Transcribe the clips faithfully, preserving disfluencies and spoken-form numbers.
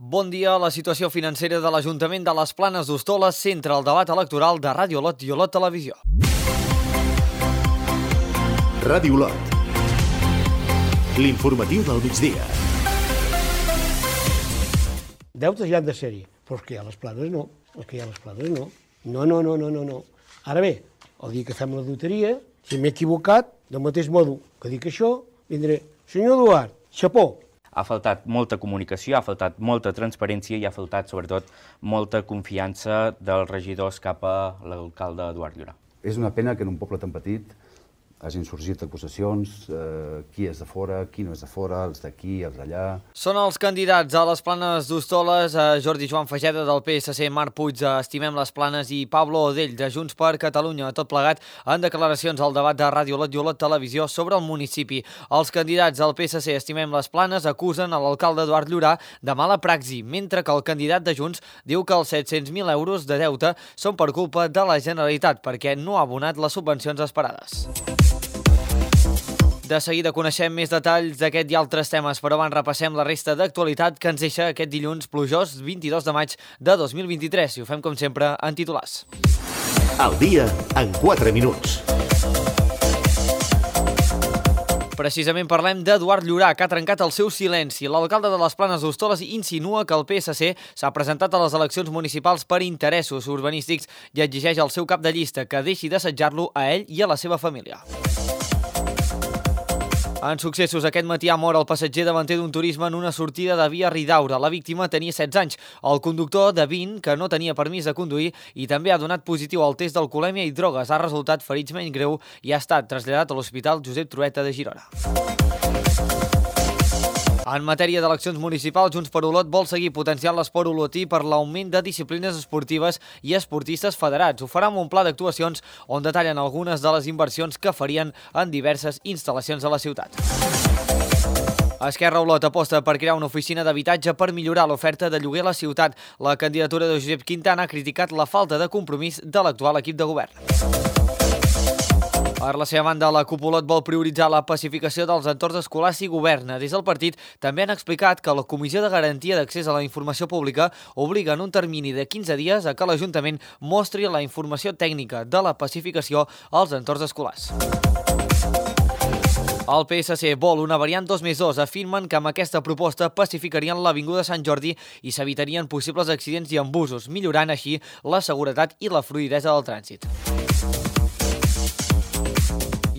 Bon dia. La situació financera de l'Ajuntament de les Planes d'Hostoles centra el debat electoral de Ràdio Olot i Olot Televisió. Ràdio Olot. L'informatiu del migdia. Deutes hi han de ser-hi, però els que hi ha a les Planes no. Els que hi ha a les Planes no. No, no, no, no, no, no. Ara bé, el dia que fem la loteria, si m'he equivocat, del mateix modo que dic això, vindré, senyor Eduard, xapó. Ha faltat molta comunicació, ha faltat molta transparència i ha faltat, sobretot, molta confiança dels regidors cap a l'alcalde Eduard Llorà. És una pena que en un poble tan petit hagin sorgit acusacions, eh, qui és de fora, qui no és de fora, els d'aquí, els d'allà. Són els candidats a les Planes d'Hostoles, eh, Jordi Joan Fageda del P S C, Marc Puig de Estimem les Planes i Pablo Odell de Junts per Catalunya, tot plegat en declaracions al debat de Ràdio Olot i Olot Televisió sobre el municipi. Els candidats del P S C Estimem les Planes acusen a l'alcalde Eduard Llorà de mala praxi, mentre que el candidat de Junts diu que els set-cents mil euros de deute són per culpa de la Generalitat perquè no ha abonat les subvencions esperades. De seguida coneixem més detalls d'aquest i altres temes, però abans repassem la resta d'actualitat que ens deixa aquest dilluns plujós vint-i-dos de maig de dos mil vint-i-tres i ho fem com sempre en titulars. El dia en quatre minuts. Precisament parlem d'Eduard Llorà, que ha trencat el seu silenci. L'alcalde de les Planes d'Hostoles insinua que el P S C s'ha presentat a les eleccions municipals per interessos urbanístics i exigeix al seu cap de llista que deixi d'assetjar-lo a ell i a la seva família. En successos, aquest matí ha mort el passatger davanter d'un turisme en una sortida de via Ridaura. La víctima tenia setze anys. El conductor, de vint, que no tenia permís de conduir i també ha donat positiu al test d'alcoholèmia i drogues. Ha resultat ferits menys greu i ha estat traslladat a l'Hospital Josep Trueta de Girona. En matèria d'eleccions municipals, Junts per Olot vol seguir potenciant l'esport olotí per l'augment de disciplines esportives i esportistes federats. Ho farà amb un pla d'actuacions on detallen algunes de les inversions que farien en diverses instal·lacions de la ciutat. Esquerra Olot aposta per crear una oficina d'habitatge per millorar l'oferta de lloguer a la ciutat. La candidatura de Josep Quintana ha criticat la falta de compromís de l'actual equip de govern. Per la seva banda, la CUP Olot vol prioritzar la pacificació dels entorns escolars i governa. Des del partit també han explicat que la Comissió de Garantia d'Accés a la Informació Pública obliga en un termini de quinze dies a que l'Ajuntament mostri la informació tècnica de la pacificació als entorns escolars. El P S C vol una variant dos més dos. Afirmen que amb aquesta proposta pacificarien l'Avinguda Sant Jordi i s'evitarien possibles accidents i embussos, millorant així la seguretat i la fluïdesa del trànsit.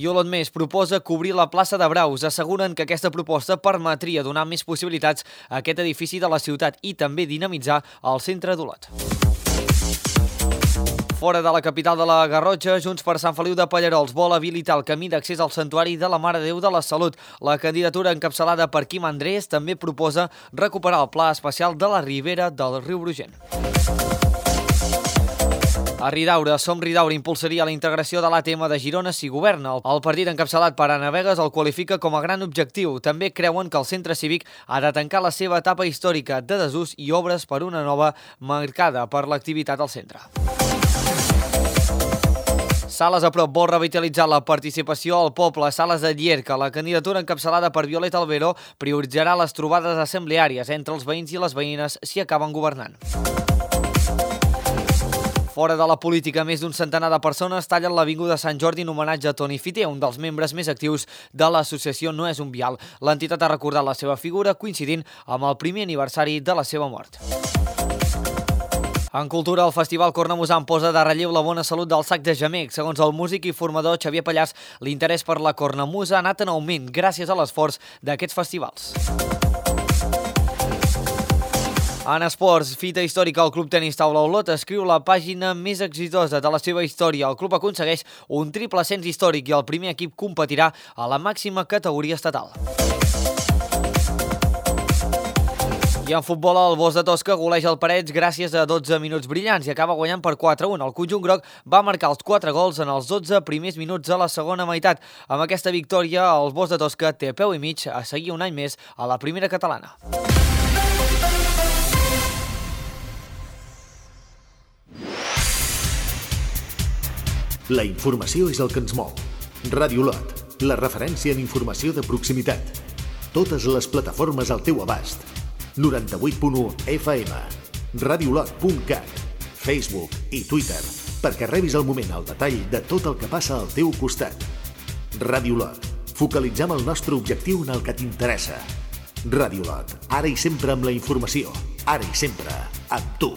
I Olot Més proposa cobrir la plaça de Braus. Asseguren que aquesta proposta permetria donar més possibilitats a aquest edifici de la ciutat i també dinamitzar el centre d'Olot. Fora de la capital de la Garrotxa, Junts per Sant Feliu de Pallerols vol habilitar el camí d'accés al Santuari de la Mare de Déu de la Salut. La candidatura encapçalada per Quim Andrés també proposa recuperar el pla especial de la ribera del riu Brugent. A Ridaura, Som Ridaura impulsaria la integració de l'A T M de Girona si governa. El partit encapçalat per Anna Vegas el qualifica com a gran objectiu. També creuen que el centre cívic ha de tancar la seva etapa històrica de desús i obres per una nova marcada per l'activitat al centre. Sales a prop vol revitalitzar la participació al poble. Sales de Llierca, la candidatura encapçalada per Violeta Albero, prioritzarà les trobades assembleàries entre els veïns i les veïnes si acaben governant. Fora de la política, més d'un centenar de persones tallen l'Avinguda Sant Jordi en homenatge a Toni Fiter, un dels membres més actius de l'associació No és un vial. L'entitat ha recordat la seva figura coincidint amb el primer aniversari de la seva mort. En cultura, el Festival Cornamusa posa de relleu la bona salut del sac de gemec. Segons el músic i formador Xavier Pallars, l'interès per la cornamusa ha anat en augment gràcies a l'esforç d'aquests festivals. En esports, fita històrica, el Club Tenis Taula Olot escriu la pàgina més exitosa de la seva història. El club aconsegueix un triple ascens històric i el primer equip competirà a la màxima categoria estatal. I en futbol, el Bosc de Tosca goleja el Parets gràcies a dotze minuts brillants i acaba guanyant per quatre a un. El conjunt groc va marcar els quatre gols en els dotze primers minuts de la segona meitat. Amb aquesta victòria, el Bosc de Tosca té peu i mig a seguir un any més a la primera catalana. La informació és el que ens mou. Ràdio Olot, la referència en informació de proximitat. Totes les plataformes al teu abast. noranta-vuit punt u F M, radiolot punt cat, Facebook i Twitter, perquè rebis al moment el detall de tot el que passa al teu costat. Radiolot. Focalitzem el nostre objectiu en el que t'interessa. Radiolot. Ara i sempre amb la informació. Ara i sempre amb tu.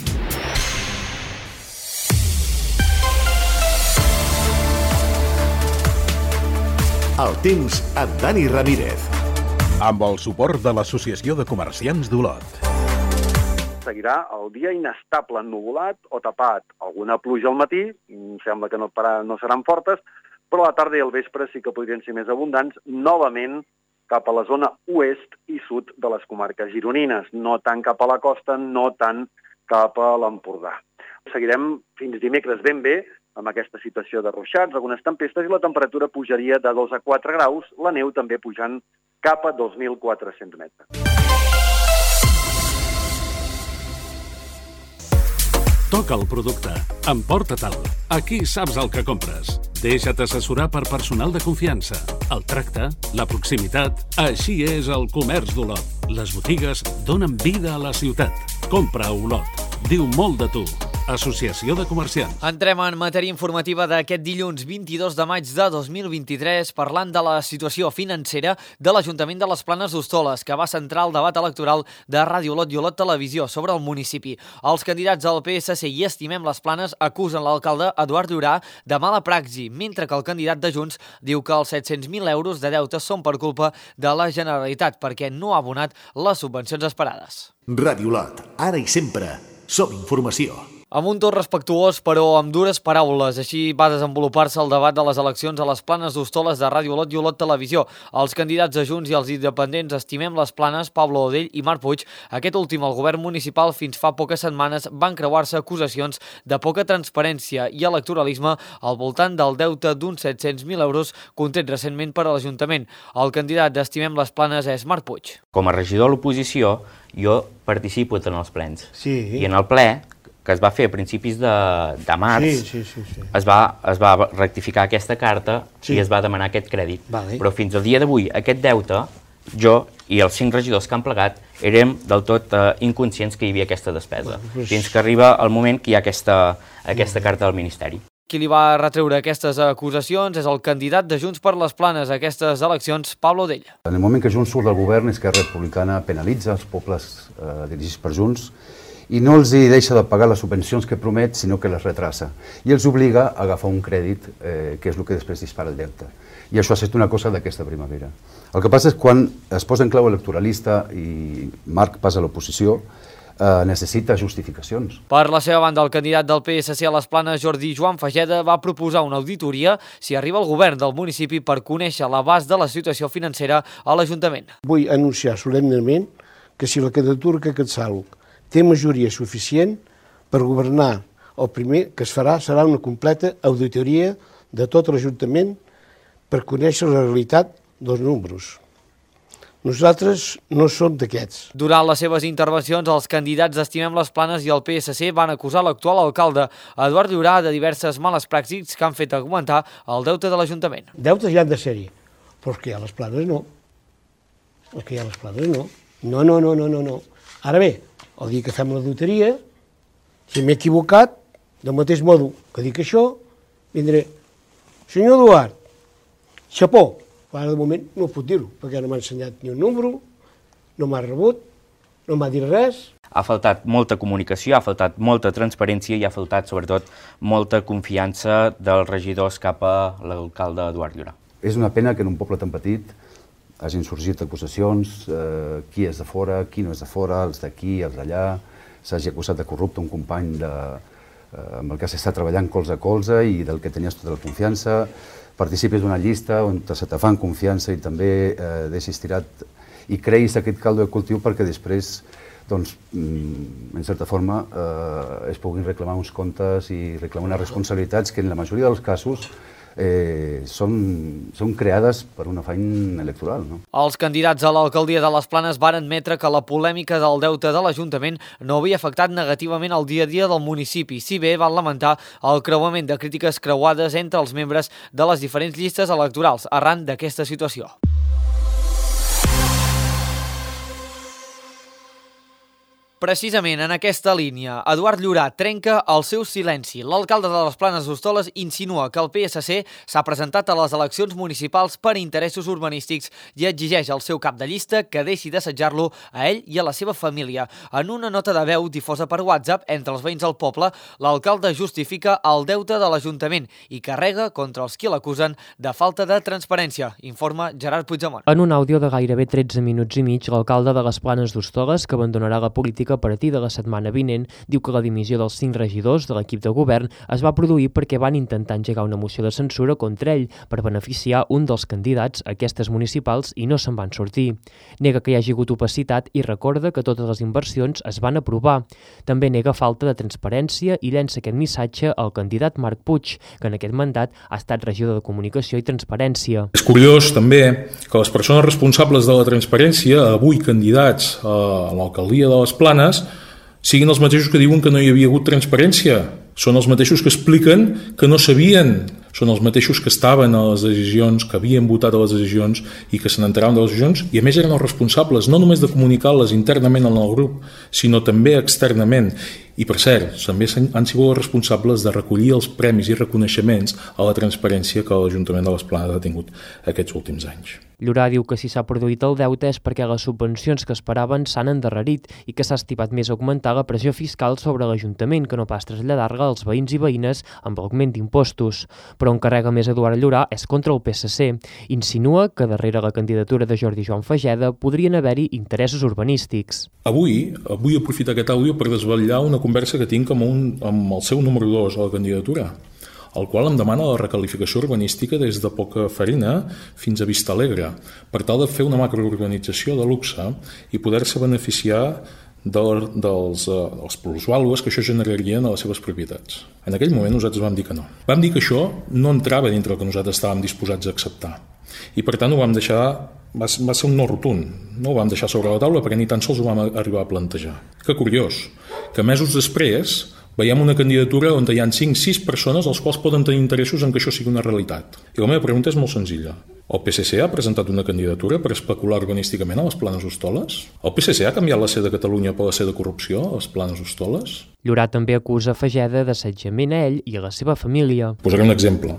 El temps amb Dani Ramírez. Amb el suport de l'Associació de Comerciants d'Olot. Seguirà el dia inestable, ennuvolat o tapat. Alguna pluja al matí, sembla que no, para, no seran fortes, però a la tarda i al vespre sí que podrien ser més abundants, novament cap a la zona oest i sud de les comarques gironines, no tant cap a la costa, no tant cap a l'Empordà. Seguirem fins dimecres ben bé, amb aquesta situació de ruixats, algunes tempestes, i la temperatura pujaria de dos a quatre graus, la neu també pujant cap a dos mil quatre-cents metres. Toca el producte, emporta-te'l. Aquí saps el que compres. Deixa't assessorar per personal de confiança. El tracte, la proximitat, així és el comerç d'Olot. Les botigues donen vida a la ciutat. Compra a Olot. Diu molt de tu. Associació de Comerciants. Entrem en matèria informativa d'aquest dilluns vint-i-dos de maig de dos mil vint-i-tres parlant de la situació financera de l'Ajuntament de les Planes d'Hostoles, que va centrar el debat electoral de Ràdio Olot i Olot Televisió sobre el municipi. Els candidats del P S C i Estimem les Planes acusen l'alcalde Eduard Llorà de mala praxi, mentre que el candidat de Junts diu que els set-cents mil euros de deutes són per culpa de la Generalitat perquè no ha abonat les subvencions esperades. Ràdio Olot, ara i sempre, som informació. Amb un to respectuós, però amb dures paraules. Així va desenvolupar-se el debat de les eleccions a les Planes d'Hostoles de Ràdio Olot i Olot Televisió. Els candidats de Junts i els independents Estimem les Planes, Pablo Odell i Marc Puig, aquest últim al govern municipal fins fa poques setmanes, van creuar-se acusacions de poca transparència i electoralisme al voltant del deute d'uns set-cents mil euros contret recentment per a l'Ajuntament. El candidat d'Estimem les Planes és Marc Puig. Com a regidor de l'oposició, jo participo en els plens. Sí. I en el ple, que es va fer a principis de, de març, sí, sí, sí, sí. Es, va, es va rectificar aquesta carta sí. i es va demanar aquest crèdit. Vale. Però fins al dia d'avui, aquest deute, jo i els cinc regidors que han plegat érem del tot uh, inconscients que hi havia aquesta despesa, bueno, pues... fins que arriba el moment que hi ha aquesta, aquesta carta del Ministeri. Qui li va retreure aquestes acusacions és el candidat de Junts per les Planes a aquestes eleccions, Pablo Odell. En el moment que Junts surt del govern, Esquerra Republicana penalitza els pobles eh, dirigits per Junts i no els hi deixa de pagar les subvencions que promet, sinó que les retrasa. I els obliga a agafar un crèdit, eh, que és el que després dispara el deute. I això ha estat una cosa d'aquesta primavera. El que passa és quan es posa en clau electoralista i Marc passa a l'oposició, eh, necessita justificacions. Per la seva banda, el candidat del P S C a les Planes, Jordi Joan Fageda, va proposar una auditoria si arriba al govern del municipi per conèixer l'abast de la situació financera a l'Ajuntament. Vull anunciar solemnement que si la candidatura que Catsaluc té majoria suficient per governar, el primer que es farà serà una completa auditoria de tot l'Ajuntament per conèixer la realitat dels números. Nosaltres no som d'aquests. Durant les seves intervencions, els candidats d'Estimem les Planes i el P S C van acusar l'actual alcalde, Eduard Llorà, de diverses males pràctiques que han fet augmentar el deute de l'Ajuntament. Deutes ja han de ser-hi, però els que hi ha a les Planes no. Els que hi ha a les Planes no. No, no, no, no, no, no. Ara bé, el dia que fem la loteria, si m'he equivocat, del mateix modo que dic això, vindré. Senyor Eduard, xapó. Ara de moment no puc dir-ho, perquè no m'ha ensenyat ni un número, no m'ha rebut, no m'ha dit res. Ha faltat molta comunicació, ha faltat molta transparència i ha faltat, sobretot, molta confiança dels regidors cap a l'alcalde Eduard Llorà. És una pena que en un poble tan petit hagin sorgit acusacions, eh, qui és de fora, qui no és de fora, els d'aquí, els d'allà, s'hagi acusat de corrupte un company de, eh, amb el que s'està treballant colze a colze i del que tenies tota la confiança, participis d'una llista on se te fan confiança i també eh, deixis tirat i creïs aquest caldo de cultiu perquè després, doncs, en certa forma, eh, es puguin reclamar uns comptes i reclamar unes responsabilitats que en la majoria dels casos Eh, són, són creades per un afany electoral. No? Els candidats a l'alcaldia de les Planes van admetre que la polèmica del deute de l'Ajuntament no havia afectat negativament el dia a dia del municipi, si bé van lamentar el creuament de crítiques creuades entre els membres de les diferents llistes electorals arran d'aquesta situació. Precisament en aquesta línia, Eduard Llorà trenca el seu silenci. L'alcalde de les Planes d'Hostoles insinua que el P S C s'ha presentat a les eleccions municipals per interessos urbanístics i exigeix al seu cap de llista que deixi d'assetjar-lo a ell i a la seva família. En una nota de veu difosa per WhatsApp entre els veïns del poble, l'alcalde justifica el deute de l'Ajuntament i carrega contra els qui l'acusen de falta de transparència, informa Gerard Puigdemont. En un àudio de gairebé tretze minuts i mig, l'alcalde de les Planes d'Hostoles, que abandonarà la política a partir de la setmana vinent, diu que la dimissió dels cinc regidors de l'equip de govern es va produir perquè van intentar engegar una moció de censura contra ell per beneficiar un dels candidats a aquestes municipals i no se'n van sortir. Nega que hi hagi hagut opacitat i recorda que totes les inversions es van aprovar. També nega falta de transparència i llença aquest missatge al candidat Marc Puig, que en aquest mandat ha estat regidor de Comunicació i Transparència. És curiós també que les persones responsables de la transparència, avui candidats a l'alcaldia de les Planes, siguin els mateixos que diuen que no hi havia hagut transparència. Són els mateixos que expliquen que no sabien. Són els mateixos que estaven a les decisions, que havien votat a les decisions i que se n'enteraven de les decisions, i a més eren els responsables, no només de comunicar-les internament en el grup, sinó també externament. I, per cert, també han sigut els responsables de recollir els premis i reconeixements a la transparència que l'Ajuntament de les Planes ha tingut aquests últims anys. Llorà diu que si s'ha produït el deute és perquè les subvencions que esperaven s'han endarrerit i que s'ha estimat més augmentar la pressió fiscal sobre l'Ajuntament que no pas traslladar-la als veïns i veïnes amb l'augment d'impostos. Però on carrega més Eduard Llorà és contra el P S C. Insinua que darrere la candidatura de Jordi Joan Fageda podrien haver-hi interessos urbanístics. Avui vull aprofitar aquest àudio per desvetllar una conversa que tinc amb, un, amb el seu número dos a la candidatura, el qual em demana la recalificació urbanística des de Poca Farina fins a Vista Alegre, per tal de fer una macroorganització de luxe i poder-se beneficiar de, dels, uh, dels plusvàlues que això generarien a les seves propietats. En aquell moment nosaltres vam dir que no. Vam dir que això no entrava dintre el que nosaltres estàvem disposats a acceptar. I per tant ho vam deixar, va, va ser un no rotund, no ho vam deixar sobre la taula perquè ni tan sols ho vam arribar a plantejar. Que curiós, que mesos després veiem una candidatura on hi ha cinc sis persones als quals poden tenir interessos en que això sigui una realitat. I la meva pregunta és molt senzilla. El P S C ha presentat una candidatura per especular urbanísticament a les Planes d'Hostoles? El P S C ha canviat la C de Catalunya per la C de corrupció a les Planes d'Hostoles? Llorà també acusa Fageda d'assetjament a ell i a la seva família. Posaré un exemple.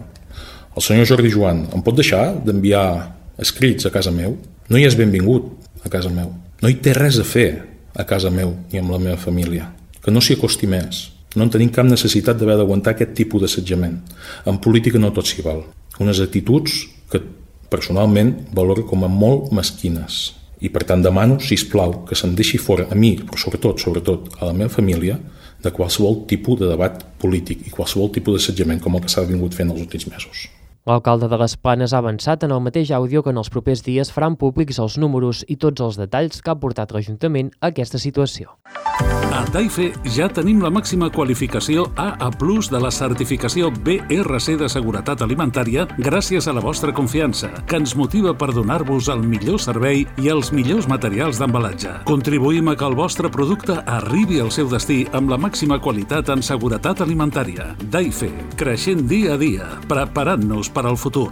El senyor Jordi Joan em pot deixar d'enviar escrits a casa meu? No hi és benvingut a casa meu. No hi té res a fer a casa meu ni amb la meva família. Que no s'hi acosti més. No en tenim cap necessitat d'haver d'aguantar aquest tipus d'assetjament. En política no tot s'hi val. Unes actituds que personalment valoro com a molt mesquines. I per tant demano, sisplau, que se'n deixi fora a mi, però sobretot, sobretot a la meva família, de qualsevol tipus de debat polític i qualsevol tipus d'assetjament com el que s'ha vingut fent els últims mesos. L'alcalde de les Planes ha avançat en el mateix àudio que en els propers dies faran públics els números i tots els detalls que ha portat l'Ajuntament a aquesta situació. A Taife ja tenim la màxima qualificació A A plus de la certificació B R C de seguretat alimentària gràcies a la vostra confiança, que ens motiva per donar-vos el millor servei i els millors materials d'embalatge. Contribuïm a que el vostre producte arribi al seu destí amb la màxima qualitat en seguretat alimentària. Taife, creixent dia a dia, preparant-nos per al futur.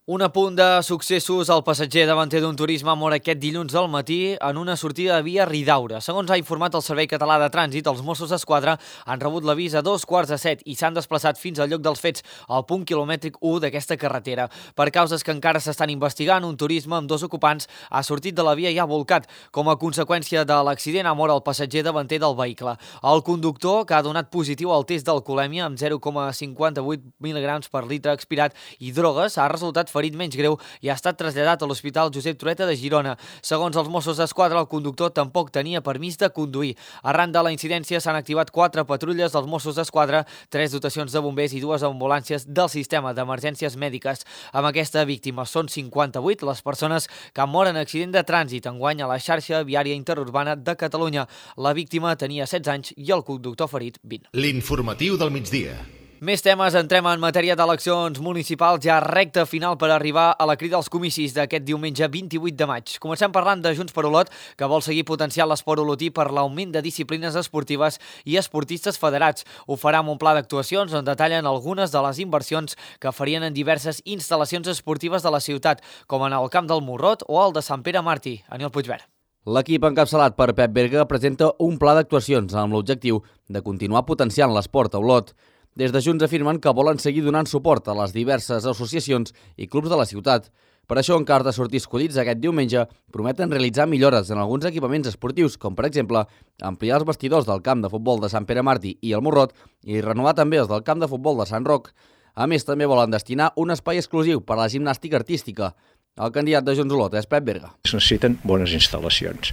Un apunt de successos, el passatger davanter d'un turisme mor aquest dilluns al matí en una sortida de via Ridaura. Segons ha informat el Servei Català de Trànsit, els Mossos d'Esquadra han rebut l'avís a dos quarts de set i s'han desplaçat fins al lloc dels fets, al punt quilomètric u d'aquesta carretera. Per causes que encara s'estan investigant, un turisme amb dos ocupants ha sortit de la via i ha volcat. Com a conseqüència de l'accident ha mort el passatger davanter del vehicle. El conductor, que ha donat positiu al test d'alcoholèmia amb zero coma cinquanta-vuit mil·ligrams per litre expirat i drogues, ha resultat ferit menys greu i ha estat traslladat a l'Hospital Josep Trueta de Girona. Segons els Mossos d'Esquadra, el conductor tampoc tenia permís de conduir. Arran de la incidència s'han activat quatre patrulles dels Mossos d'Esquadra, tres dotacions de bombers i dues ambulàncies del sistema d'emergències mèdiques. Amb aquesta víctima són cinquanta-vuit les persones que han mort en accident de trànsit enguany a la xarxa viària interurbana de Catalunya. La víctima tenia setze anys i el conductor ferit vint. L'informatiu del migdia. Més temes, entrem en matèria d'eleccions municipals, ja recta final per arribar a la crida als comicis d'aquest diumenge vint-i-vuit de maig. Comencem parlant de Junts per Olot, que vol seguir potenciant l'esport olotí per l'augment de disciplines esportives i esportistes federats. Ho farà amb un pla d'actuacions on detallen algunes de les inversions que farien en diverses instal·lacions esportives de la ciutat, com en el Camp del Morrot o el de Sant Pere Màrtir. Aniol Puigverd. L'equip encapçalat per Pep Berga presenta un pla d'actuacions amb l'objectiu de continuar potenciant l'esport a Olot. Des de Junts afirmen que volen seguir donant suport a les diverses associacions i clubs de la ciutat. Per això, en cas de sortir escollits aquest diumenge, prometen realitzar millores en alguns equipaments esportius, com per exemple ampliar els vestidors del camp de futbol de Sant Pere Màrtir i el Morrot i renovar també els del camp de futbol de Sant Roc. A més, també volen destinar un espai exclusiu per a la gimnàstica artística. El candidat de Junts Olot és Pep Berga. Es necessiten bones instal·lacions.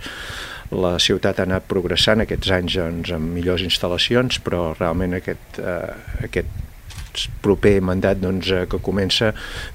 La ciutat ha anat progressant aquests anys doncs, amb millors instal·lacions, però realment aquest, eh, aquest proper mandat doncs, que comença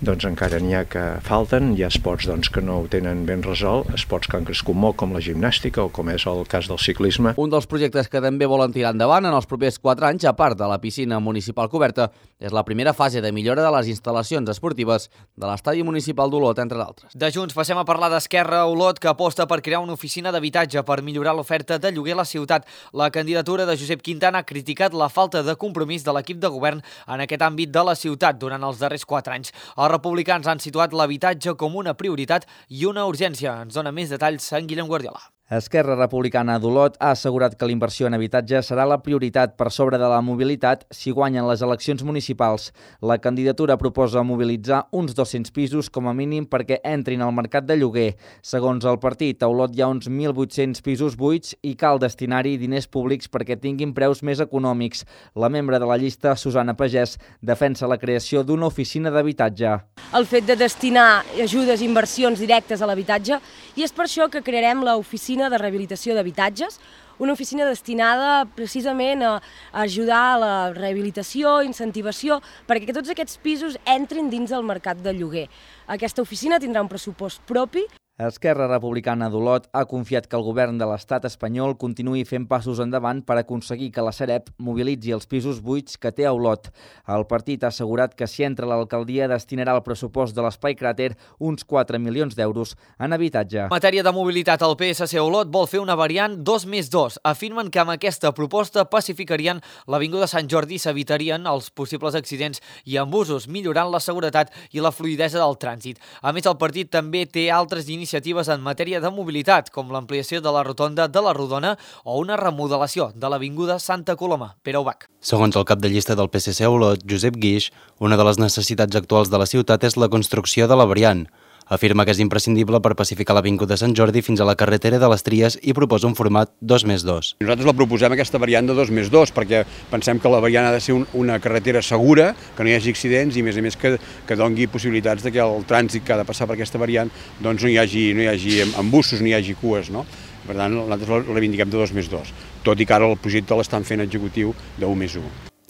doncs, encara n'hi ha que falten. Hi ha esports doncs, que no ho tenen ben resolt, esports que han crescut molt, com la gimnàstica o com és el cas del ciclisme. Un dels projectes que també volen tirar endavant en els propers quatre anys, a part de la piscina municipal coberta, és la primera fase de millora de les instal·lacions esportives de l'estadi municipal d'Olot, entre d'altres. De Junts passem a parlar d'Esquerra Olot, que aposta per crear una oficina d'habitatge per millorar l'oferta de lloguer a la ciutat. La candidatura de Josep Quintana ha criticat la falta de compromís de l'equip de govern en aquest àmbit de la ciutat durant els darrers quatre anys. Els republicans han situat l'habitatge com una prioritat i una urgència. Ens dona més detalls en Guillem Guardiola. Esquerra Republicana d'Olot ha assegurat que la inversió en habitatge serà la prioritat per sobre de la mobilitat si guanyen les eleccions municipals. La candidatura proposa mobilitzar uns dos-cents pisos com a mínim perquè entrin al mercat de lloguer. Segons el partit, a Olot hi ha uns mil vuit-cents pisos buits i cal destinar-hi diners públics perquè tinguin preus més econòmics. La membre de la llista, Susana Pagès, defensa la creació d'una oficina d'habitatge. El fet de destinar ajudes i inversions directes a l'habitatge, i és per això que crearem l'oficina de rehabilitació d'habitatges, una oficina destinada precisament a ajudar a la rehabilitació, incentivació, perquè tots aquests pisos entrin dins del mercat de lloguer. Aquesta oficina tindrà un pressupost propi. Esquerra Republicana d'Olot ha confiat que el govern de l'estat espanyol continuï fent passos endavant per aconseguir que la Sareb mobilitzi els pisos buits que té a Olot. El partit ha assegurat que si entra a l'alcaldia destinarà al pressupost de l'Espai Cràter uns quatre milions d'euros en habitatge. En matèria de mobilitat, el P S C Olot vol fer una variant dos més dos. Afirmen que amb aquesta proposta pacificarien l'Avinguda Sant Jordi i s'evitarien els possibles accidents i embussos, millorant la seguretat i la fluïdesa del trànsit. A més, el partit també té altres iniciatives iniciatives en matèria de mobilitat, com l'ampliació de la rotonda de la Rodona o una remodelació de l'Avinguda Santa Coloma. Pere Ubach. Segons el cap de llista del P S C Olot, Josep Guix, una de les necessitats actuals de la ciutat és la construcció de la variant. Afirma que és imprescindible per pacificar l'Avinguda Sant Jordi fins a la carretera de les Tries i proposa un format dos més dos. Nosaltres la proposem aquesta variant de dos més dos perquè pensem que la variant ha de ser un, una carretera segura, que no hi hagi accidents i a més a més que, que doni possibilitats de que el trànsit que ha de passar per aquesta variant doncs no hi hagi, no hi hagi embussos, no hi hagi cues, no? Per tant, nosaltres la reivindiquem de dos més dos, tot i que ara el projecte l'estan fent executiu de u més u.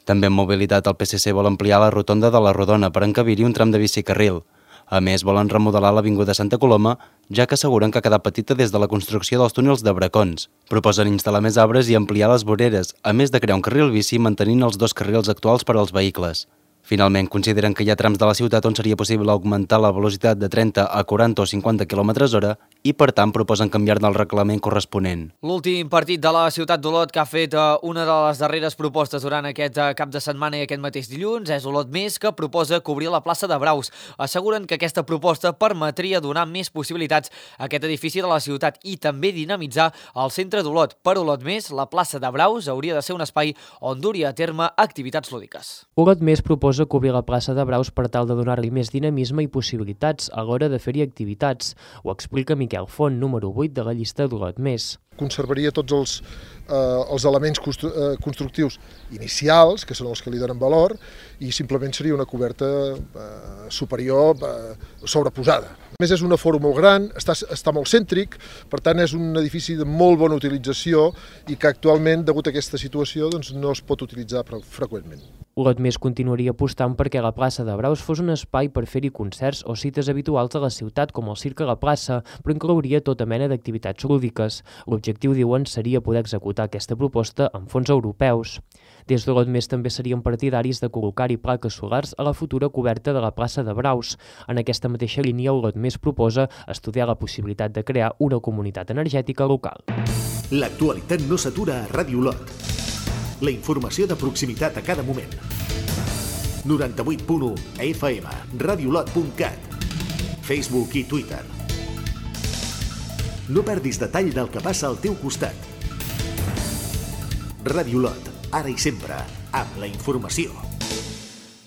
També en mobilitat el P S C vol ampliar la rotonda de la Rodona per encabir-hi un tram de bicicarril. A més, volen remodelar l'Avinguda Santa Coloma, ja que asseguren que ha quedat petita des de la construcció dels túnels de Bracons. Proposen instal·lar més arbres i ampliar les voreres, a més de crear un carril bici mantenint els dos carrils actuals per als vehicles. Finalment, consideren que hi ha trams de la ciutat on seria possible augmentar la velocitat de trenta a quaranta o cinquanta quilòmetres hora i, per tant, proposen canviar-ne el reglament corresponent. L'últim partit de la ciutat d'Olot que ha fet una de les darreres propostes durant aquest cap de setmana i aquest mateix dilluns és Olot Més, que proposa cobrir la plaça de Braus. Asseguren que aquesta proposta permetria donar més possibilitats a aquest edifici de la ciutat i també dinamitzar el centre d'Olot. Per Olot Més, la plaça de Braus hauria de ser un espai on duria a terme activitats lúdiques. Olot Més proposa cobrir la plaça de Braus per tal de donar-li més dinamisme i possibilitats a l'hora de fer-hi activitats. Ho explica Miquel Font, número vuit de la llista d'Olot Més. Conservaria tots els, eh, els elements constru eh, constructius inicials, que són els que li donen valor, i simplement seria una coberta eh, superior eh, sobreposada. A més, és un aforo molt gran, està, està molt cèntric, per tant és un edifici de molt bona utilització i que actualment, degut a aquesta situació, doncs, no es pot utilitzar freqüentment. Olot Més continuaria apostant perquè la plaça de Braus fos un espai per fer-hi concerts o cites habituals a la ciutat, com el Circ a la plaça, però inclouria tota mena d'activitats lúdiques. L'objectiu, diuen, seria poder executar aquesta proposta amb fons europeus. Des d'Olot Més també serien partidaris de col·locar-hi plaques solars a la futura coberta de la plaça de Braus. En aquesta mateixa línia, Olot Més proposa estudiar la possibilitat de crear una comunitat energètica local. L'actualitat no s'atura a Ràdio Olot. La informació de proximitat a cada moment. noranta-vuit punt u F M, radiolot punt cat, Facebook i Twitter. No perdis detall del que passa al teu costat. Ràdio Olot, ara i sempre, amb la informació.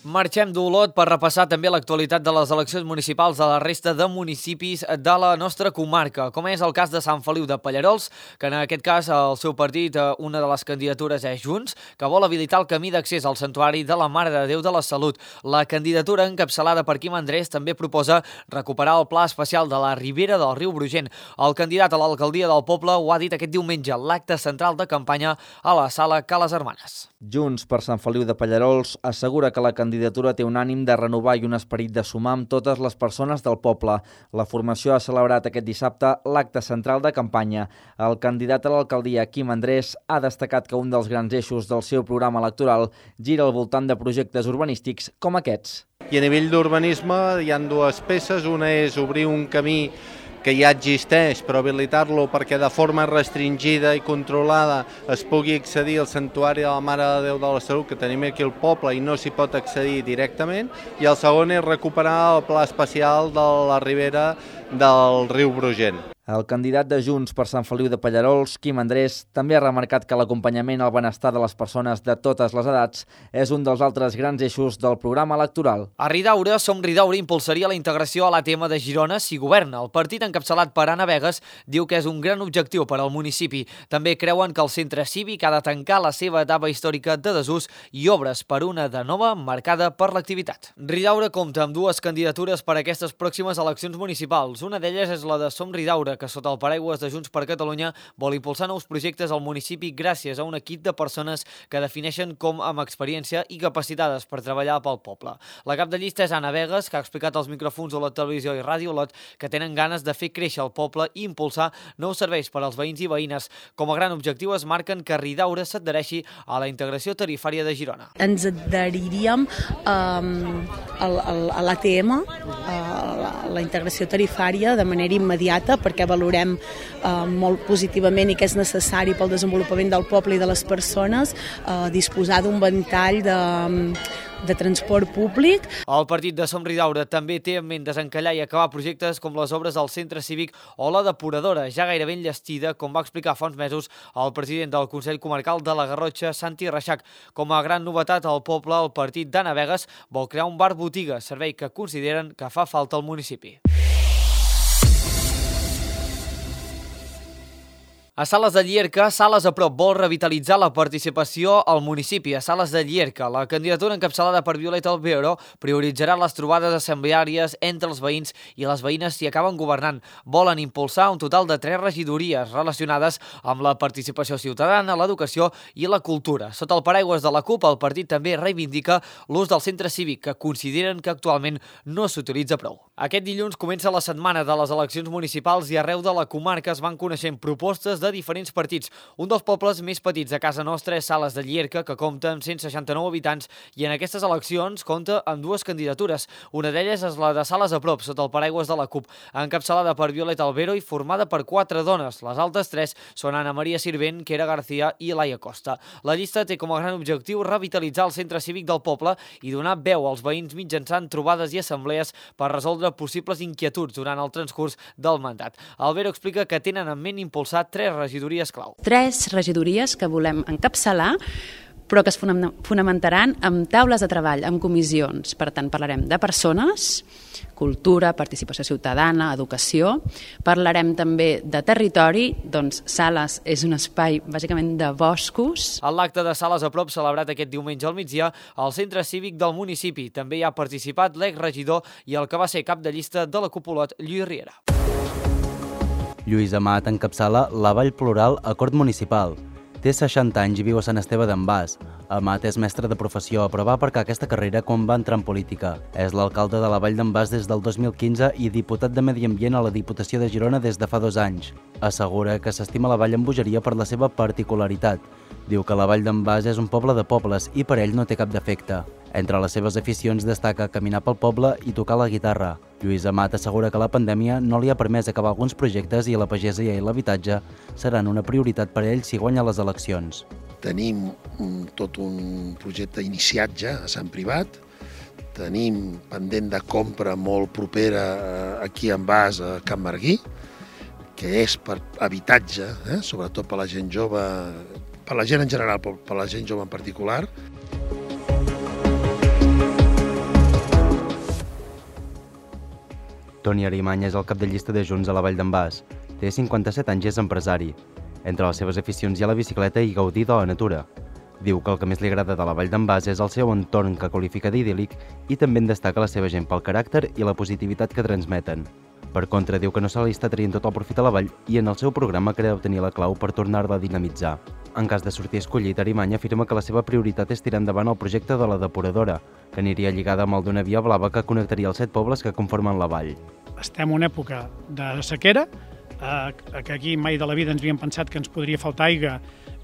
Marxem d'Olot per repassar també l'actualitat de les eleccions municipals de la resta de municipis de la nostra comarca, com és el cas de Sant Feliu de Pallarols, que en aquest cas el seu partit, una de les candidatures és Junts, que vol habilitar el camí d'accés al santuari de la Mare de Déu de la Salut. La candidatura encapçalada per Quim Andrés també proposa recuperar el pla especial de la Ribera del riu Brugent. El candidat a l'alcaldia del poble ho ha dit aquest diumenge, l'acte central de campanya a la sala Ca les Hermanes. Junts per Sant Feliu de Pallarols assegura que la candidatura té un ànim de renovar i un esperit de sumar amb totes les persones del poble. La formació ha celebrat aquest dissabte l'acte central de campanya. El candidat a l'alcaldia, Quim Andrés, ha destacat que un dels grans eixos del seu programa electoral gira al voltant de projectes urbanístics com aquests. I a nivell d'urbanisme hi ha dues peces. Una és obrir un camí que ja existeix, però habilitar-lo perquè de forma restringida i controlada es pugui accedir al santuari de la Mare de Déu de la Salut, que tenim aquí al poble i no s'hi pot accedir directament. I el segon és recuperar el pla especial de la Ribera del riu Brugent. El candidat de Junts per Sant Feliu de Pallarols, Quim Andrés, també ha remarcat que l'acompanyament al benestar de les persones de totes les edats és un dels altres grans eixos del programa electoral. A Ridaura, Som Ridaura impulsaria la integració a l'A T M de Girona si governa. El partit encapçalat per Anna Vegas diu que és un gran objectiu per al municipi. També creuen que el centre cívic ha de tancar la seva etapa històrica de desús i obres per una de nova marcada per l'activitat. Ridaura compta amb dues candidatures per a aquestes pròximes eleccions municipals. Una d'elles és la de Som Ridaura, que sota el paraigües de Junts per Catalunya vol impulsar nous projectes al municipi gràcies a un equip de persones que defineixen com amb experiència i capacitades per treballar pel poble. La cap de llista és Anna Vegas, que ha explicat als micròfons de la televisió i Ràdio Olot que tenen ganes de fer créixer el poble i impulsar nous serveis per als veïns i veïnes. Com a gran objectiu es marquen que Ridaura s'adhereixi a la integració tarifària de Girona. Ens adheriríem um, a l'A T M, a la, la integració tarifària, de manera immediata, perquè valorem eh, molt positivament i que és necessari pel desenvolupament del poble i de les persones eh, disposar d'un ventall de, de transport públic. El partit de Som Ridaura també té en ment desencallar i acabar projectes com les obres del centre cívic o la depuradora, ja gairebé enllestida, com va explicar fa uns mesos el president del Consell Comarcal de la Garrotxa, Santi Reixac. Com a gran novetat al poble, el partit d'Anna Vegas vol crear un bar-botiga, servei que consideren que fa falta al municipi. A Sales de Llierca, Sales a prop vol revitalitzar la participació al municipi. A Sales de Llierca, la candidatura encapçalada per Violeta Albero prioritzarà les trobades assembleàries entre els veïns i les veïnes si acaben governant. Volen impulsar un total de tres regidories relacionades amb la participació ciutadana, l'educació i la cultura. Sota el paraigües de la CUP, el partit també reivindica l'ús del centre cívic, que consideren que actualment no s'utilitza prou. Aquest dilluns comença la setmana de les eleccions municipals i arreu de la comarca es van coneixent propostes de diferents partits. Un dels pobles més petits a casa nostra és Sales de Llierca, que compta amb cent seixanta-nou habitants i en aquestes eleccions compta amb dues candidatures. Una d'elles és la de Sales a prop, sota el paraigües de la CUP, encapçalada per Violeta Albero i formada per quatre dones. Les altres tres són Ana Maria Sirvent, Quera García i Laia Costa. La llista té com a gran objectiu revitalitzar el centre cívic del poble i donar veu als veïns mitjançant trobades i assemblees per resoldre possibles inquietuds durant el transcurs del mandat. Albero explica que tenen en ment impulsar tres regidories clau. Tres regidories que volem encapçalar, però que es fonamentaran amb taules de treball, amb comissions. Per tant, parlarem de persones, cultura, participació ciutadana, educació. Parlarem també de territori, doncs Sales és un espai bàsicament de boscos. En l'acte de Sales a prop, celebrat aquest diumenge al migdia, al centre cívic del municipi també hi ha participat l'exregidor i el que va ser cap de llista de la Cupolot, Lluís Riera. Lluís Amat encapçala la Vall Plural Acord Municipal. Té seixanta anys i viu a Sant Esteve d'en Bas. Amat és mestre de professió, però va aparcar aquesta carrera quan va entrar en política. És l'alcalde de la Vall d'en Bas des del dos mil quinze i diputat de Medi Ambient a la Diputació de Girona des de fa dos anys. Assegura que s'estima la Vall amb bogeria per la seva particularitat. Diu que la Vall d'en Bas és un poble de pobles i per ell no té cap defecte. Entre les seves aficions destaca caminar pel poble i tocar la guitarra. Lluís Amat assegura que la pandèmia no li ha permès acabar alguns projectes i la pagesia i l'habitatge seran una prioritat per a ell si guanya les eleccions. Tenim un, tot un projecte iniciat ja a Sant Privat, tenim pendent de compra molt propera aquí en Bas, a Can Marguí, que és per habitatge, eh? sobretot per la gent jove, per la gent en general, però per la gent jove en particular. Toni Arimany és el cap de llista de Junts a la Vall d'en Bas. Té cinquanta-set anys i és empresari. Entre les seves aficions hi ha la bicicleta i gaudir de la natura. Diu que el que més li agrada de la Vall d'en Bas és el seu entorn que qualifica d'idíl·lic i també en destaca la seva gent pel caràcter i la positivitat que transmeten. Per contra, diu que no se li està traient tot el profit a la vall i en el seu programa creu tenir la clau per tornar-la a dinamitzar. En cas de sortir escollit, Arimany afirma que la seva prioritat és tirar endavant el projecte de la depuradora, que aniria lligada amb el d'una via blava que connectaria els set pobles que conformen la vall. Estem en una època de sequera, eh, que aquí mai de la vida ens havíem pensat que ens podria faltar aigua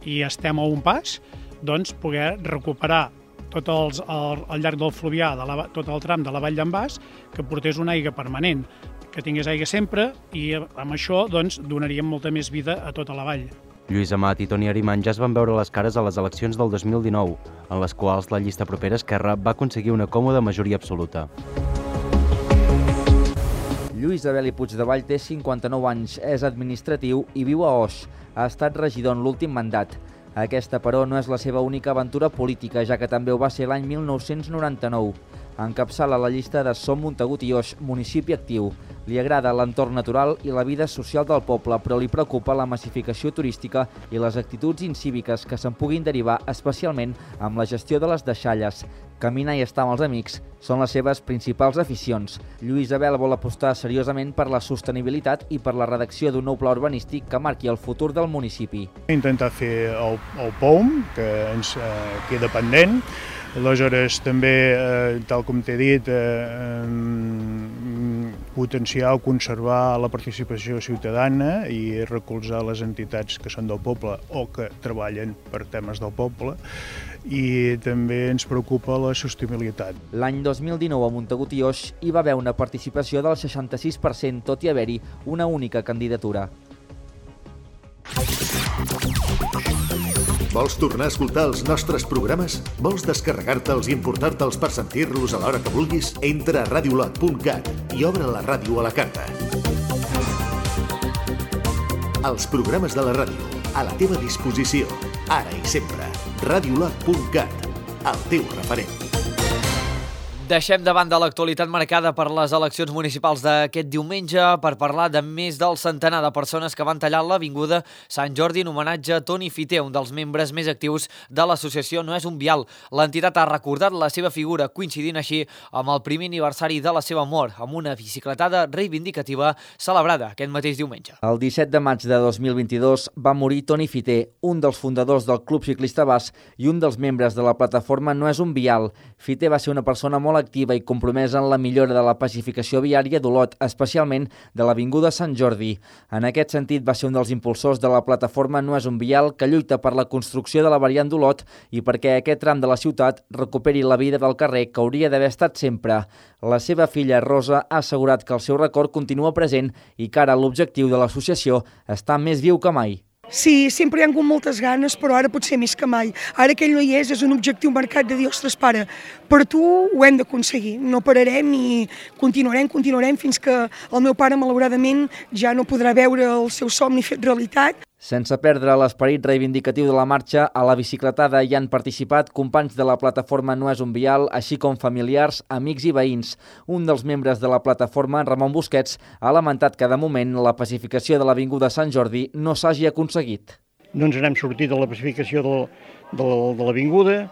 i estem a un pas, doncs poder recuperar tot els, al, al llarg del fluvià, de la, tot el tram de la Vall d'en Bas, que portés una aigua permanent, que tingués aigua sempre i amb això doncs, donaríem molta més vida a tota la vall. Lluís Amat i Toni Arimany ja es van veure les cares a les eleccions del dos mil dinou, en les quals la llista propera Esquerra va aconseguir una còmoda majoria absoluta. Lluís Abel i Puigdevall té cinquanta-nou anys, és administratiu i viu a Oix. Ha estat regidor en l'últim mandat. Aquesta, però, no és la seva única aventura política, ja que també ho va ser l'any mil nou-cents noranta-nou. Encapçala la llista de Som Montagut i Oix, municipi actiu. Li agrada l'entorn natural i la vida social del poble, però li preocupa la massificació turística i les actituds incíviques que se'n puguin derivar, especialment amb la gestió de les deixalles. Caminar i estar amb els amics són les seves principals aficions. Lluís Abel vol apostar seriosament per la sostenibilitat i per la redacció d'un nou pla urbanístic que marqui el futur del municipi. Intentar fer el, el P O M, que ens eh, queda pendent. Aleshores, també, eh, tal com t'he dit, eh, potenciar o conservar la participació ciutadana i recolzar les entitats que són del poble o que treballen per temes del poble. I també ens preocupa la sostenibilitat. L'any dos mil dinou a Montagut i Oix hi va haver una participació del seixanta-sis per cent, tot i haver-hi una única candidatura. Vols tornar a escoltar els nostres programes? Vols descarregar-te'ls i importar-te'ls per sentir-los a l'hora que vulguis? Entra a radiolot punt cat i obre la ràdio a la carta. Els programes de la ràdio, a la teva disposició, ara i sempre. radiolot punt cat, el teu referent. Deixem de banda l'actualitat marcada per les eleccions municipals d'aquest diumenge per parlar de més del centenar de persones que van tallar l'avinguda Sant Jordi en homenatge a Toni Fiter, un dels membres més actius de l'associació No és un vial. L'entitat ha recordat la seva figura, coincidint així amb el primer aniversari de la seva mort, amb una bicicletada reivindicativa celebrada aquest mateix diumenge. El disset de maig de dos mil vint-i-dos va morir Toni Fiter, un dels fundadors del Club Ciclista Bas i un dels membres de la plataforma No és un vial. Fiter va ser una persona molt activa i compromesa en la millora de la pacificació viària d'Olot, especialment de l'avinguda Sant Jordi. En aquest sentit, va ser un dels impulsors de la plataforma No és un vial, que lluita per la construcció de la variant d'Olot i perquè aquest tram de la ciutat recuperi la vida del carrer que hauria d'haver estat sempre. La seva filla, Rosa, ha assegurat que el seu record continua present i que ara l'objectiu de l'associació està més viu que mai. Sí, sempre hi ha hagut moltes ganes, però ara potser més que mai. Ara que ell no hi és, és un objectiu marcat de dir, ostres, pare, per tu ho hem d'aconseguir. No pararem i continuarem, continuarem, fins que el meu pare, malauradament, ja no podrà veure el seu somni fet realitat. Sense perdre l'esperit reivindicatiu de la marxa, a la bicicletada hi han participat companys de la plataforma No és un vial, així com familiars, amics i veïns. Un dels membres de la plataforma, Ramon Busquets, ha lamentat que de moment la pacificació de l'avinguda Sant Jordi no s'hagi aconseguit. No ens n'hem sortit de la pacificació de, de, de l'avinguda,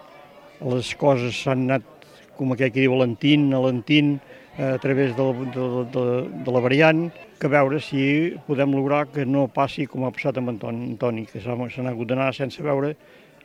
les coses s'han anat, com aquell que diu, alentint, alentint, a través de, de, de, de la variant, que veure si podem lograr que no passi com ha passat amb Antoni, que s'ha hagut d'anar sense veure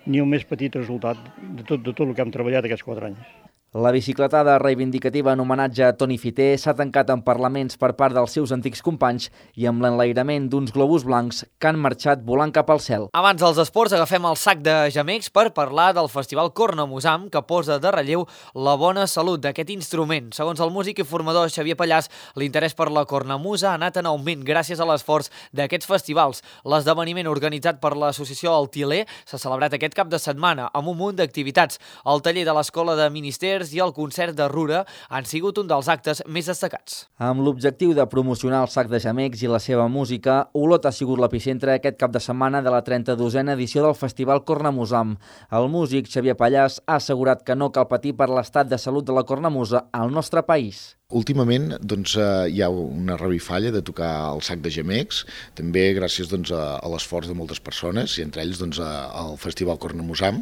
ni el més petit resultat de tot, de tot el que hem treballat aquests quatre anys. La bicicletada reivindicativa en homenatge a Toni Fiter s'ha tancat en parlaments per part dels seus antics companys i amb l'enlairament d'uns globus blancs que han marxat volant cap al cel. Abans dels esports agafem el sac de gemecs per parlar del Festival Cornamusam, que posa de relleu la bona salut d'aquest instrument. Segons el músic i formador Xavier Pallàs, l'interès per la cornamusa ha anat en augment gràcies a l'esforç d'aquests festivals. L'esdeveniment organitzat per l'associació El Tiler s'ha celebrat aquest cap de setmana amb un munt d'activitats. El taller de l'Escola de Ministers, concerts i el concert de Rura han sigut un dels actes més destacats. Amb l'objectiu de promocionar el sac de gemecs i la seva música, Olot ha sigut l'epicentre aquest cap de setmana de la trenta-dosena edició del Festival Cornamusam. El músic Xavier Pallàs ha assegurat que no cal patir per l'estat de salut de la cornamusa al nostre país. Últimament doncs, eh, hi ha una revifalla de tocar el sac de gemecs, també gràcies doncs, a, a l'esforç de moltes persones, i entre ells doncs, a, al Festival Cornamusam,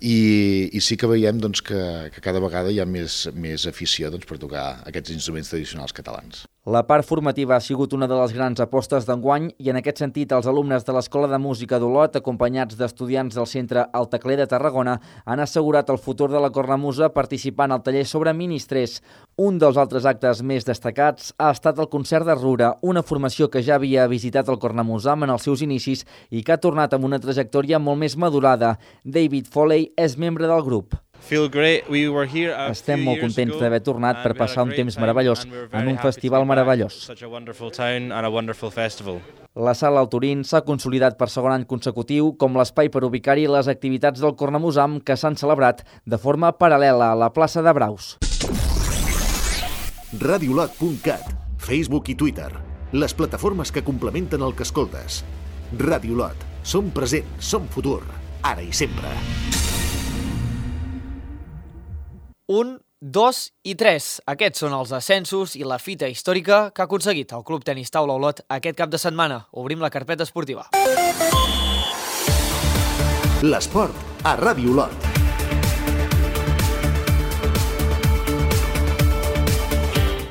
i, i sí que veiem doncs, que, que cada vegada hi ha més, més afició doncs, per tocar aquests instruments tradicionals catalans. La part formativa ha sigut una de les grans apostes d'enguany i en aquest sentit els alumnes de l'Escola de Música d'Olot, acompanyats d'estudiants del Centre El Tecler de Tarragona, han assegurat el futur de la cornamusa participant al taller sobre ministrers. Un dels altres actes més destacats ha estat el concert de Rura, una formació que ja havia visitat el Cornamusam en els seus inicis i que ha tornat amb una trajectòria molt més madurada. David Foley és membre del grup. Estem molt contents d'haver tornat per passar un temps meravellós en un festival meravellós. La Sala El Turín s'ha consolidat per segon any consecutiu com l'espai per ubicar-hi les activitats del Cornamusam que s'han celebrat de forma paral·lela a la plaça de Braus. radiolot punt cat, Facebook i Twitter, les plataformes que complementen el que escoltes. Radiolot, som present, som futur, ara i sempre. Un, dos i tres. Aquests són els ascensos i la fita històrica que ha aconseguit el Club Tenis Taula Olot aquest cap de setmana. Obrim la carpeta esportiva. L'esport a Ràdio Olot.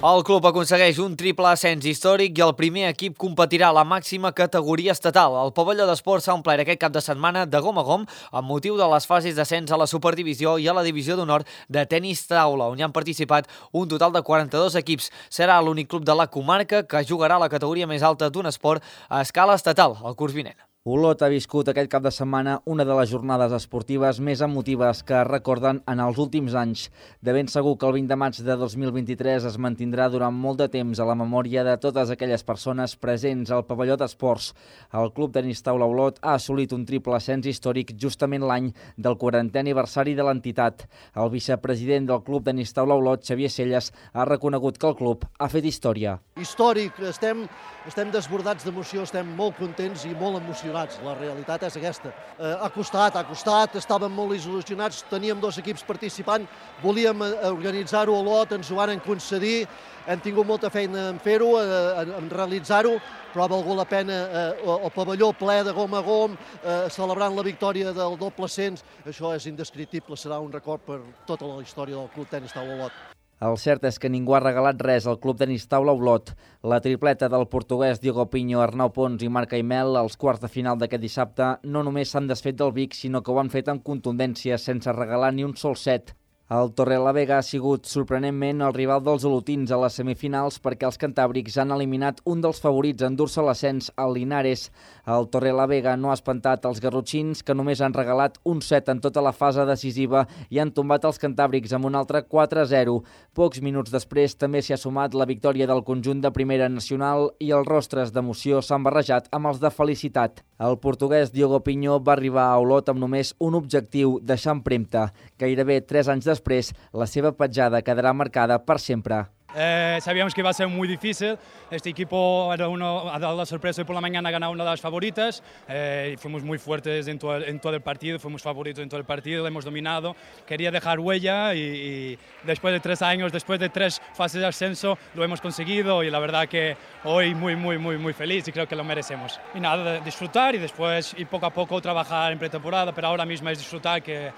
El club aconsegueix un triple ascens històric i el primer equip competirà a la màxima categoria estatal. El pavelló d'esports s'ha omplert aquest cap de setmana de gom a gom amb motiu de les fases d'ascens a la Superdivisió i a la Divisió d'Honor de Tenis Taula, on hi han participat un total de quaranta-dos equips. Serà l'únic club de la comarca que jugarà a la categoria més alta d'un esport a escala estatal el curs vinent. Olot ha viscut aquest cap de setmana una de les jornades esportives més emotives que es recorden en els últims anys. De ben segur que el vint de maig de dos mil vint-i-tres es mantindrà durant molt de temps a la memòria de totes aquelles persones presents al pavelló d'esports. El Club Tenis Taula Olot ha assolit un triple ascens històric justament l'any del quarantè aniversari de l'entitat. El vicepresident del Club Tenis Taula Olot, Xavier Celles, ha reconegut que el club ha fet història. Històric, estem, estem desbordats d'emoció, estem molt contents i molt emocionats. La realitat és aquesta. Eh, ha costat, ha costat, estàvem molt il·lusionats, teníem dos equips participant, volíem organitzar-ho a Olot, ens ho van concedir, hem tingut molta feina en fer-ho, en, en realitzar-ho, però ha valgut la pena eh, el pavelló ple de gom a gom, eh, celebrant la victòria del doble ascens. Això és indescriptible, serà un record per tota la història del Club Tenis Taula Olot. El cert és que ningú ha regalat res al Club Tenis Taula Olot. La tripleta del portuguès Diogo Pinho, Arnau Pons i Marc Aimel als quarts de final d'aquest dissabte no només s'han desfet del Vic, sinó que ho han fet amb contundència, sense regalar ni un sol set. El Torrelavega ha sigut sorprenentment el rival dels olotins a les semifinals perquè els cantàbrics han eliminat un dels favorits a endur-se l'ascens, el Linares. El Torrelavega no ha espantat els garrotxins, que només han regalat un set en tota la fase decisiva i han tombat els cantàbrics amb un altre quatre a zero. Pocs minuts després també s'hi ha sumat la victòria del conjunt de Primera Nacional i els rostres d'emoció s'han barrejat amb els de felicitat. El portuguès Diogo Pinho va arribar a Olot amb només un objectiu, deixar empremta. Gairebé tres anys després, la seva petjada quedarà marcada per sempre. Eh, sabíamos que iba a ser muy difícil. Este equipo era uno, ha dado la sorpresa y por la mañana ha ganado una de las favoritas. Eh, fuimos muy fuertes en todo, el, en todo el partido, fuimos favoritos en todo el partido, lo hemos dominado. Quería dejar huella y, y después de tres años, después de tres fases de ascenso, lo hemos conseguido y la verdad que hoy muy, muy, muy, muy feliz y creo que lo merecemos. Y nada, disfrutar y después y poco a poco trabajar en pretemporada, pero ahora mismo es disfrutar, que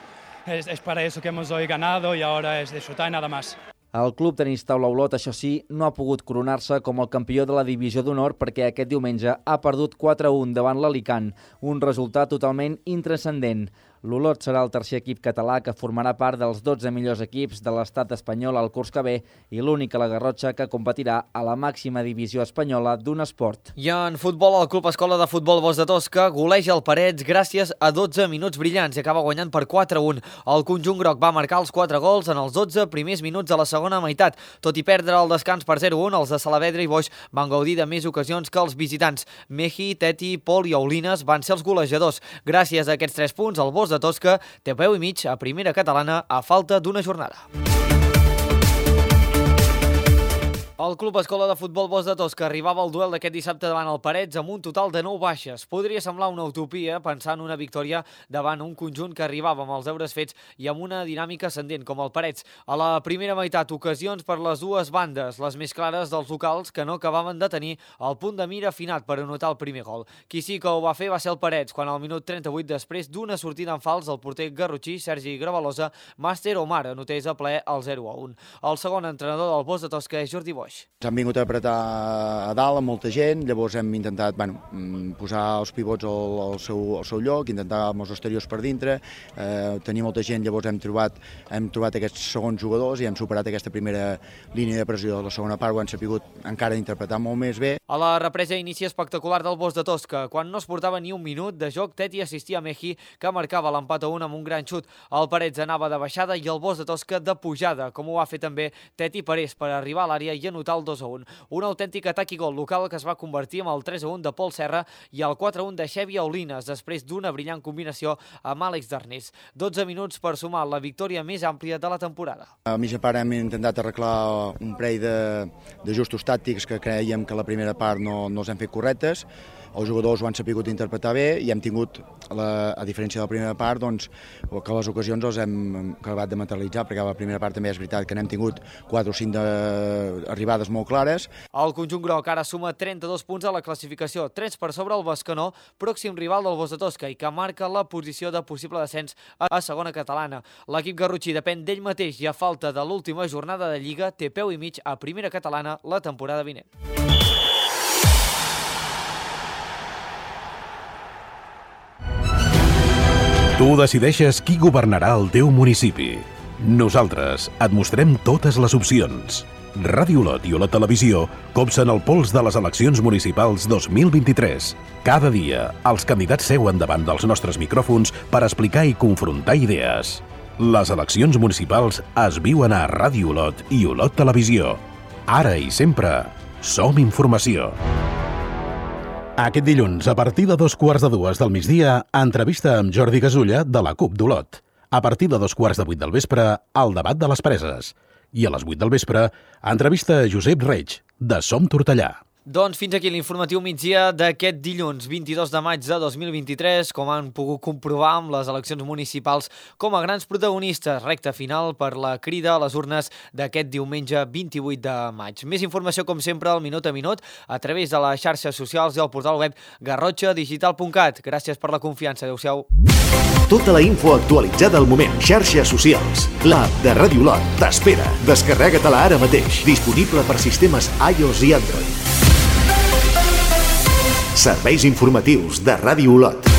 es, es para eso que hemos hoy ganado y ahora es disfrutar y nada más. El Club Tenis Taula Olot, això sí, no ha pogut coronar-se com el campió de la Divisió d'Honor perquè aquest diumenge ha perdut quatre a un davant l'Alicant, un resultat totalment intranscendent. L'Olot serà el tercer equip català que formarà part dels dotze millors equips de l'estat espanyol al curs que ve i l'únic a la Garrotxa que competirà a la màxima divisió espanyola d'un esport. I en futbol, el Club Escola de Futbol Bosch de Tosca goleja el Parets gràcies a dotze minuts brillants i acaba guanyant per quatre a un. El conjunt groc va marcar els quatre gols en els dotze primers minuts de la segona meitat. Tot i perdre el descans per zero a un, els de Salavedra i Boix van gaudir de més ocasions que els visitants. Meji, Teti, Pol i Aulines van ser els golejadors. Gràcies a aquests tres punts, el Bosch de Tosca té peu i mig a primera catalana a falta d'una jornada. El Club Escola de Futbol Bosch de Tosca arribava al duel d'aquest dissabte davant el Parets amb un total de nou baixes. Podria semblar una utopia pensar en una victòria davant un conjunt que arribava amb els deures fets i amb una dinàmica ascendent, com el Parets. A la primera meitat, ocasions per les dues bandes, les més clares dels locals, que no acabaven de tenir el punt de mira afinat per anotar el primer gol. Qui sí que ho va fer va ser el Parets, quan al minut trenta-vuit, després d'una sortida en fals, el porter garrotxí Sergi Gravalosa, Màster Omar, anotés a ple el zero a un. El segon entrenador del Bosch de Tosca és Jordi Boix. Ens han vingut a apretar a dalt amb molta gent, llavors hem intentat bueno, posar els pivots al, al, seu, al seu lloc, intentar amb els exteriors per dintre, eh, tenir molta gent, llavors hem trobat, hem trobat aquests segons jugadors i hem superat aquesta primera línia de pressió de la segona part, ho hem sabut encara interpretar molt més bé. A la represa inici espectacular del Bosch de Tosca, quan no es portava ni un minut de joc, Teti assistia a Meji, que marcava l'empat a un amb un gran xut. El Parets anava de baixada i el Bosch de Tosca de pujada, com ho va fer també Teti Parés per arribar a l'àrea i anotar el dos a un. Un autèntic atac i gol local que es va convertir en el tres a un de Pol Serra i el quatre a un de Xevi Aulines, després d'una brillant combinació amb Àlex Darnés. dotze minuts per sumar la victòria més àmplia de la temporada. A mitja part hem intentat arreglar un parell de, de justos tàctics que creiem que la primera part no, no els hem fet correctes. Els jugadors ho han sabut interpretar bé i hem tingut, la, a diferència de la primera part, doncs, que les ocasions els hem acabat de materialitzar, perquè a la primera part també és veritat que n'hem tingut quatre o cinc de, arribades molt clares. El conjunt groc ara suma trenta-dos punts a la classificació, tres per sobre el Bescanó, pròxim rival del Bosch de Tosca, i que marca la posició de possible descens a segona catalana. L'equip garrotxí depèn d'ell mateix i a falta de l'última jornada de Lliga té peu i mig a primera catalana la temporada vinent. Tu decideixes qui governarà el teu municipi. Nosaltres et mostrem totes les opcions. Ràdio Olot i Olot Televisió copsen el pols de les eleccions municipals dos mil vint-i-tres. Cada dia, els candidats seuen davant dels nostres micròfons per explicar i confrontar idees. Les eleccions municipals es viuen a Ràdio Olot i Olot Televisió. Ara i sempre, som informació. Aquest dilluns, a partir de dos quarts de dues del migdia, entrevista amb Jordi Gasulla de la CUP d'Olot. A partir de dos quarts de vuit del vespre, el debat de les preses. I a les vuit del vespre, entrevista a Josep Reig, de Som Tortellà. Doncs fins aquí l'informatiu migdia d'aquest dilluns vint-i-dos de maig de dos mil vint-i-tres, com han pogut comprovar amb les eleccions municipals com a grans protagonistes, recta final per la crida a les urnes d'aquest diumenge vint-i-vuit de maig. Més informació, com sempre, al minut a minut, a través de les xarxes socials i el portal web garrotxa digital punt cat. Gràcies per la confiança. Adéu-siau. Tota la info actualitzada al moment. Xarxes socials. L'app de Ràdio Olot t'espera. Descarrega-te-la ara mateix. Disponible per sistemes iOS i Android. Serveis informatius de Ràdio Olot.